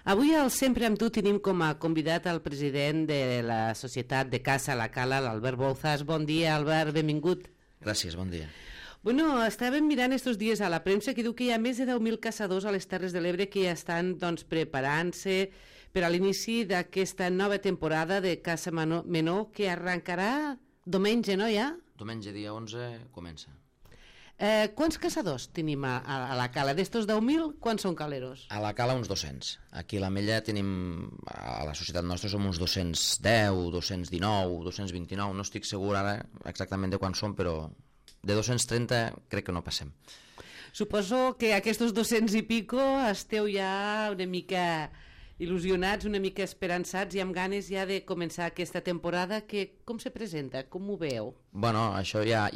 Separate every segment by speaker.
Speaker 1: Avui al Sempre amb tu tenim com a convidat el president de la Societat de Caça La Cala, l'Albert Bouzas. Bon dia, Albert, benvingut.
Speaker 2: Gràcies, bon dia.
Speaker 1: Bueno, estàvem mirant estos dies a la premsa que diu que hi ha més de 10.000 caçadors a les Terres de l'Ebre que ja estan preparant-se per a l'inici d'aquesta nova temporada de caça menor que arrencarà diumenge, no, ja?
Speaker 2: Diumenge, dia 11, comença.
Speaker 1: Quants caçadors tenim a la cala? D'estos 10.000, quants són caleros?
Speaker 2: A la cala uns 200. Aquí a l'Ametlla tenim, a la societat nostra som uns 210, 219, 229, no estic segur ara exactament de quants són, però de 230 crec que no passem.
Speaker 1: Suposo que aquests 200 i pico esteu ja una mica il·lusionats, una mica esperançats i amb ganes ja de començar aquesta temporada, que com se presenta? Com ho veieu?
Speaker 2: Bueno, això ja...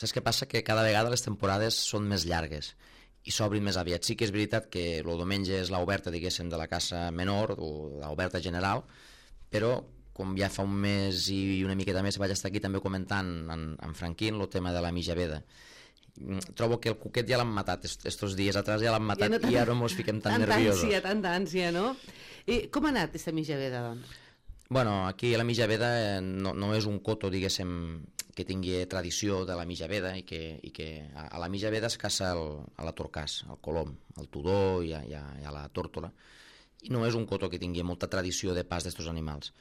Speaker 2: Saps què passa? Que cada vegada les temporades són més llargues i s'obrin més aviat. Sí que és veritat que el diumenge és l'oberta, diguéssim, de la caça menor o l'oberta general, però com ja fa un mes i una miqueta més vaig estar aquí també comentant en Franquín el tema de la mitjaveda. Trobo que el cuquet ja l'han matat estos dies atrás, ja l'han matat, ja i ara mos fiquem tan nerviosos.
Speaker 1: Tanta ànsia, no? I com ha anat aquesta mitjaveda, doncs?
Speaker 2: Bueno, aquí la mitjaveda no és un coto, diguéssim, que tingui tradició de la mitjaveda i que a la mitjaveda es caça a la torcàs, al colom, al tudó i a la tórtola, i no és un coto que tingui molta tradició de pas d'estos animals.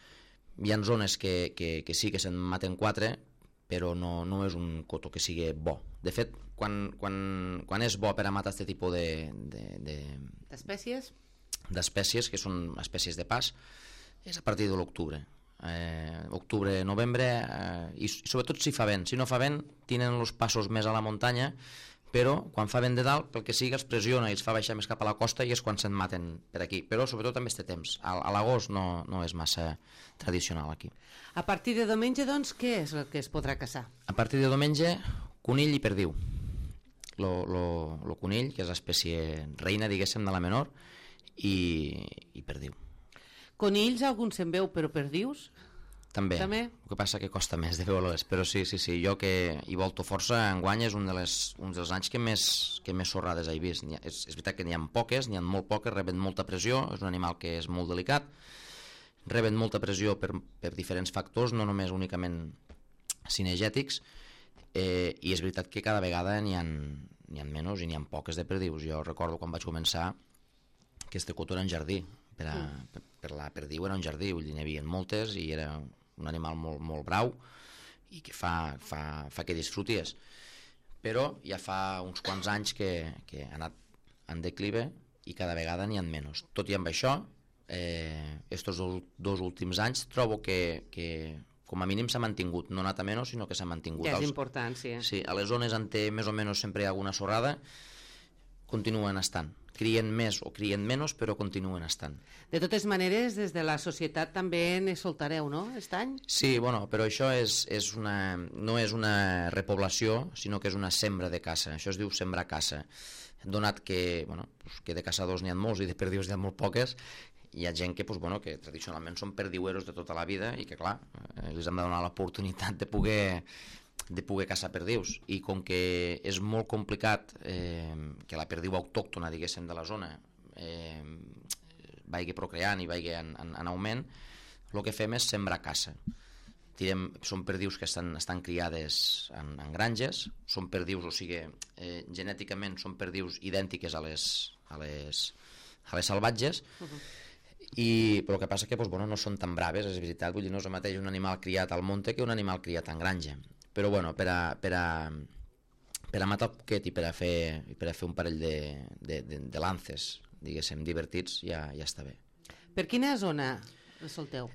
Speaker 2: Hi ha zones que sí que se'n maten 4, però no és un coto que sigui bo. De fet, quan és bo per a matar aquest tipus
Speaker 1: d'espècies?
Speaker 2: D'espècies, que són espècies de pas, és a partir de l'octubre. Octubre, novembre, i sobretot si fa vent. Si no fa vent, tenen els passos més a la muntanya, però quan fa vent de dalt, pel que sigui, els pressiona i els fa baixar més cap a la costa i és quan se'n maten per aquí. Però sobretot també este temps. A l'agost no és massa tradicional aquí.
Speaker 1: A partir de diumenge, doncs, què és el que es podrà caçar?
Speaker 2: A partir de diumenge, conill i perdiu. Lo conill, que és l'espècie reina, diguéssim, de la menor, i perdiu.
Speaker 1: Conills, algun se'n veu, però perdius?
Speaker 2: També. El que passa que costa més de veure-les, però sí, jo que hi volto força, enguany és un dels anys que més sorrades he vist. És veritat que n'hi ha poques, n'hi ha molt poques, reben molta pressió, és un animal que és molt delicat, reben molta pressió per diferents factors, no només únicament cinegètics, i és veritat que cada vegada n'hi ha menys i n'hi ha poques de perdius. Jo recordo quan vaig començar que este coto era un jardí, per la perdiu era un jardí, vull dir, n'hi havia moltes i era un animal molt brau i que fa que disfruties, però ja fa uns quants anys que ha anat en declive i cada vegada n'hi ha menys. Tot i amb això, estos 2 últims anys trobo que com a mínim s'ha mantingut, no ha anat a menys, sinó que s'ha mantingut.
Speaker 1: Ja és important, sí.
Speaker 2: Sí, a les zones on té més o menys sempre hi ha alguna sorrada, continuen estant. Crien més o crien menys, però continuen estant.
Speaker 1: De totes maneres, des de la societat també ne soltareu, no, aquest any?
Speaker 2: Sí, bueno, però això no és una repoblació, sinó que és una sembra de caça. Això es diu sembrar caça. Donat que de caçadors n'hi ha molts i de perdius n'hi ha molt poques, hi ha gent que tradicionalment són perdiueros de tota la vida i que, clar, els hem de donar l'oportunitat de poder caçar perdius, i com que és molt complicat que la perdiu autòctona, diguéssim, de la zona vagi procreant i vagi en augment, el que fem és sembrar caça. Són perdius que estan criades en granges, són perdius, o sigui, genèticament són perdius idèntiques a les salvatges, però el que passa que no són tan braves, és veritat, vull dir, no és el mateix un animal criat al monte que un animal criat en granja. Però per a matar el cuquet i per a fer un parell de lances, diguéssim, divertits, ja està bé.
Speaker 1: Per quina zona solteu?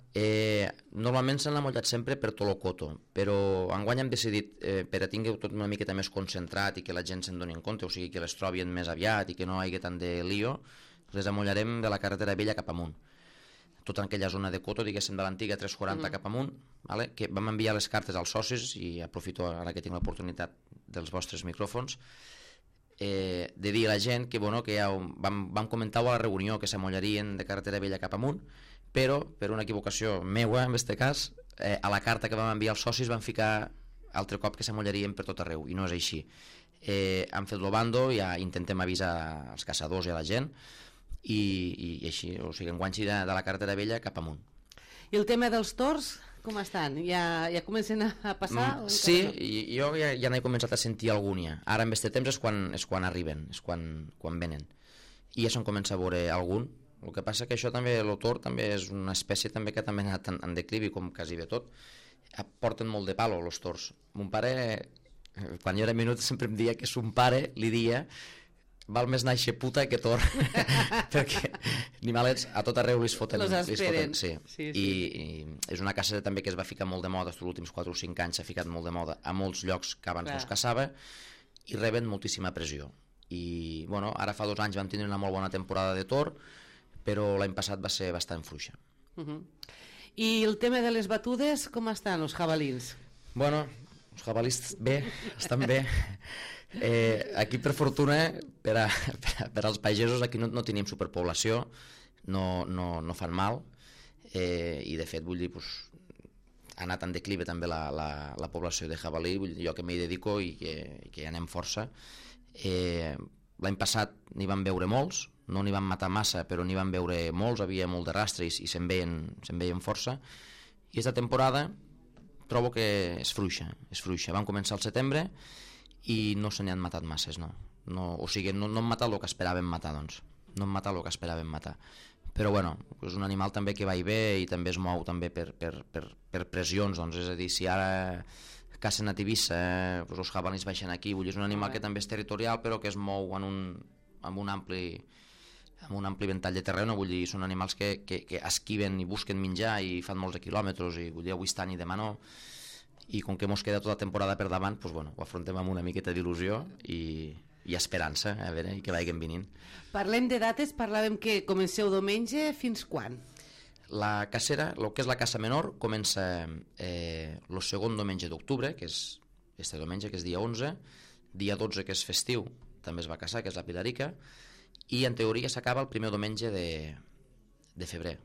Speaker 2: Normalment s'han amollat sempre per tot el coto, però enguany hem decidit, per a tingueu tot una miqueta més concentrat i que la gent se'n doni en compte, o sigui que les trobin més aviat i que no hi hagi tant de lío, les amollarem de la carretera vella cap amunt, tota aquella zona de coto, diguéssim, de l'antiga 340 cap amunt, que vam enviar les cartes als socis, i aprofito ara que tinc l'oportunitat dels vostres micròfons, de dir a la gent que ja vam comentar-ho a la reunió, que s'amollarien de carretera vella cap amunt, però per una equivocació meua, en aquest cas, a la carta que vam enviar als socis van ficar altre cop que s'amollarien per tot arreu, i no és així. Han fet el bando, ja intentem avisar als caçadors i a la gent, i així, o sigui, enguanxi de la carretera vella cap amunt.
Speaker 1: I el tema dels tors, com estan? Ja comencen a passar?
Speaker 2: Sí, jo ja n'he començat a sentir algun ja. Ara en este temps és quan arriben, és quan venen. I ja se'n comença a veure algun. El que passa que això també, el tor també és una espècie també que també ha anat en declivi, com quasi bé tot. Porten molt de palo, els tors. Mon pare, quan jo era minut, sempre em deia que son pare li dia val més nàixer puta que tor perquè animalets a tot arreu li foten.
Speaker 1: Los esperen.
Speaker 2: Sí. I és una caça també que es va ficar molt de moda els últims 4 o 5 anys, s'ha ficat molt de moda a molts llocs que abans no es caçava i reben moltíssima pressió. I bueno, ara fa 2 anys vam tindre una molt bona temporada de tor, però l'any passat va ser bastant fluixa.
Speaker 1: I el tema de les batudes, com estan els jabalins?
Speaker 2: Bueno, els jabalins bé, estan bé. Aquí per fortuna per als pagesos aquí no tenim superpoblació, no fan mal, i de fet vull dir ha anat en declive també la població de jabalí, jo que m'hi dedico i que hi anem força. L'any passat n'hi van veure molts, no n'hi van matar massa però n'hi van veure molts, havia molt de rastres i se'n veien força, i aquesta temporada trobo que és fluixa. Van començar al setembre i no se n'hi han matat masses, no. O sigui, no han matat el que esperàvem matar, doncs. No han matat el que esperàvem matar. Però bueno, és un animal també que va i ve i també es mou també per pressions, doncs, és a dir, si ara cacen a Tivissa, els jabalins baixen aquí, vull dir, és un animal que també és territorial però que es mou amb un ampli ventall de terreny, vull dir, són animals que esquiven i busquen menjar i fan molts de quilòmetres i vull dir, avui estan i demà no, i com que mos queda tota la temporada per davant, doncs, bueno, ho afrontem amb una miqueta d'il·lusió i esperança, a veure, i que vagin venint.
Speaker 1: Parlem de dates, parlàvem que comenceu diumenge, fins quan?
Speaker 2: La cacera, el que és la caça menor, comença el segon diumenge d'octubre, que és este diumenge, que és dia 11, dia 12, que és festiu, també es va caçar, que és la Pilarica, i en teoria s'acaba el primer diumenge de febrer.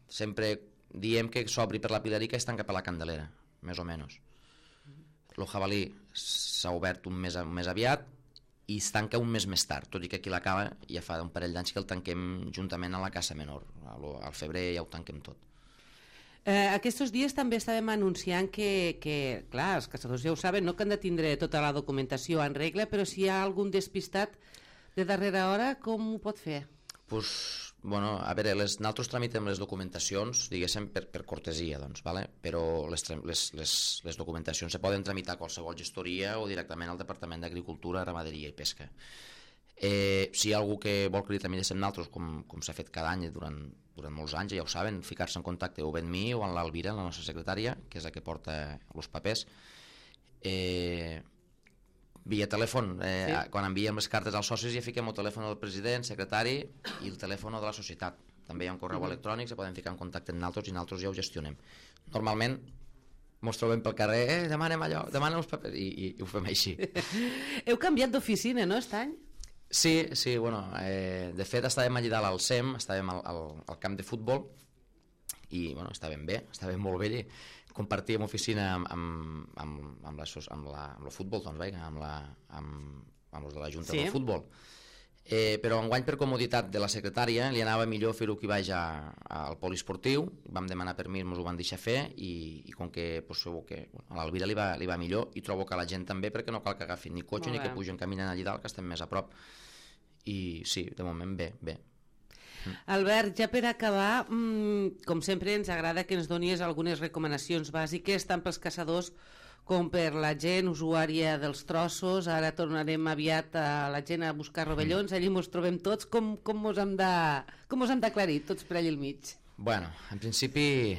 Speaker 2: Sempre diem que s'obri per la Pilarica i es tanca per la Candelera, més o menys. El jabalí s'ha obert un mes aviat i es tanca un mes més tard, tot i que aquí l'acaba ja fa un parell d'anys que el tanquem juntament a la caça menor. Al febrer ja ho tanquem tot.
Speaker 1: Aquests dies també estàvem anunciant que, clar, els caçadors ja ho saben, no que han de tindre tota la documentació en regla, però si hi ha algun despistat de darrera hora, com ho pot fer?
Speaker 2: Bueno, a veure, nosaltres tramitem les documentacions, diguéssim, per cortesia, doncs, vale? Però les documentacions se poden tramitar a qualsevol gestoria o directament al Departament d'Agricultura, Ramaderia i Pesca. Si hi ha algú que vol que li tramitem nosaltres, com s'ha fet cada any durant molts anys, ja ho saben, ficar-se en contacte o bé amb mi o amb l'Alvira, la nostra secretària, que és la que porta els papers. Via telèfon, quan enviem les cartes als socis ja fiquem el telèfon del president, secretari i el telèfon de la societat. També hi ha un correu electrònic, se poden ficar en contacte amb nosaltres i nosaltres ja ho gestionem. Normalment ens trobem pel carrer, demanem allò, demanem els papers i ho fem així.
Speaker 1: Heu canviat d'oficina, no, aquest any?
Speaker 2: Sí, bueno, de fet estàvem allà dalt al SEM, estàvem al camp de futbol i bueno, estàvem bé, estàvem molt bé allà. Compartíem oficina amb el futbol, doncs, amb els de la Junta del Futbol. Però enguany, per comoditat de la secretària, li anava millor fer-ho que vaig al poliesportiu, vam demanar permís, ens ho van deixar fer, i com que a l'Alvira li va millor, i trobo que a la gent també, perquè no cal que agafin ni cotxe ni que pugen caminant allà dalt, que estem més a prop. I sí, de moment bé.
Speaker 1: Albert, ja per acabar, com sempre ens agrada que ens donis algunes recomanacions bàsiques tant pels caçadors com per la gent usuària dels trossos. Ara tornarem aviat a la gent a buscar rovellons, allí ens trobem tots. Com mos hem d'aclarir tots per allà al mig?
Speaker 2: Bueno, en principi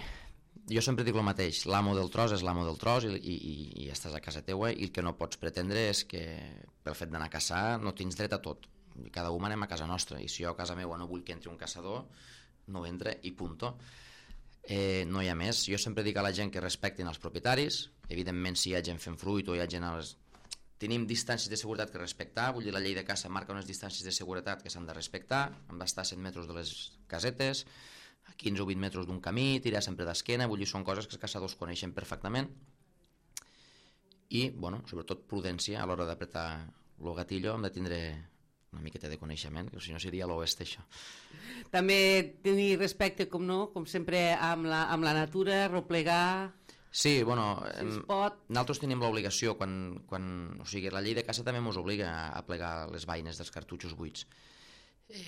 Speaker 2: jo sempre dic el mateix, l'amo del tros és l'amo del tros i estàs a casa teua, i el que no pots pretendre és que pel fet d'anar a caçar no tens dret a tot. Cada un anem a casa nostra, i si jo a casa meva no vull que entri un caçador, no entra i punto. No hi ha més. Jo sempre dic a la gent que respectin els propietaris. Evidentment, si hi ha gent fent fruit o hi ha gent tenim distàncies de seguretat que respectar, vull dir, la llei de caça marca unes distàncies de seguretat que s'han de respectar, hem d'estar a 100 metres de les casetes, a 15 o 20 metres d'un camí, tirar sempre d'esquena, vull dir, són coses que els caçadors coneixen perfectament. I, bueno, sobretot prudència a l'hora d'apretar el gatillo, hem de tindre una miqueta de coneixement, que si no seria l'oest això.
Speaker 1: També tenir respecte, com no, com sempre, amb la natura, replegar...
Speaker 2: Sí, bueno,
Speaker 1: si es pot.
Speaker 2: nosaltres tenim l'obligació, o sigui, la llei de caça també ens obliga a plegar les vaines dels cartutxos buits.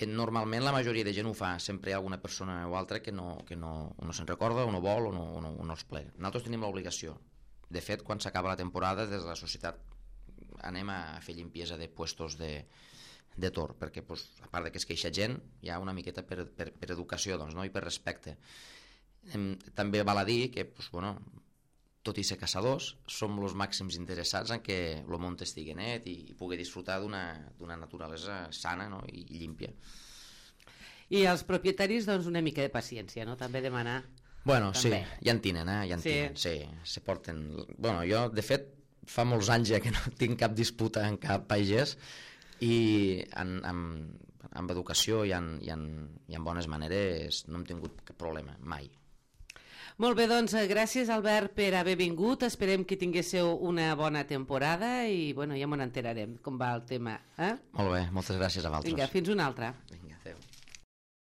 Speaker 2: Normalment la majoria de gent ho fa, sempre hi ha alguna persona o altra que no se'n recorda o no vol o no els plega. Nosaltres tenim l'obligació. De fet, quan s'acaba la temporada, des de la societat anem a fer limpiesa de puestos de tor, perquè a part que es queixa gent, hi ha una miqueta per educació i per respecte. També val a dir que, tot i ser caçadors, som els màxims interessats en que el món estigui net i pugui disfrutar d'una naturalesa sana i límpia.
Speaker 1: I els propietaris, una mica de paciència, no? També demanar...
Speaker 2: Bueno, també. Sí, ja en tenen, sí, se porten... Bueno, jo, de fet, fa molts anys ja que no tinc cap disputa amb cap pagès i amb educació i en bones maneres no hem tingut cap problema, mai.
Speaker 1: Molt bé, doncs gràcies Albert per haver vingut, esperem que tinguéssiu una bona temporada i ja m'ho enterarem com va el tema.
Speaker 2: Molt bé, moltes gràcies a vosaltres.
Speaker 1: Vinga, fins una altra.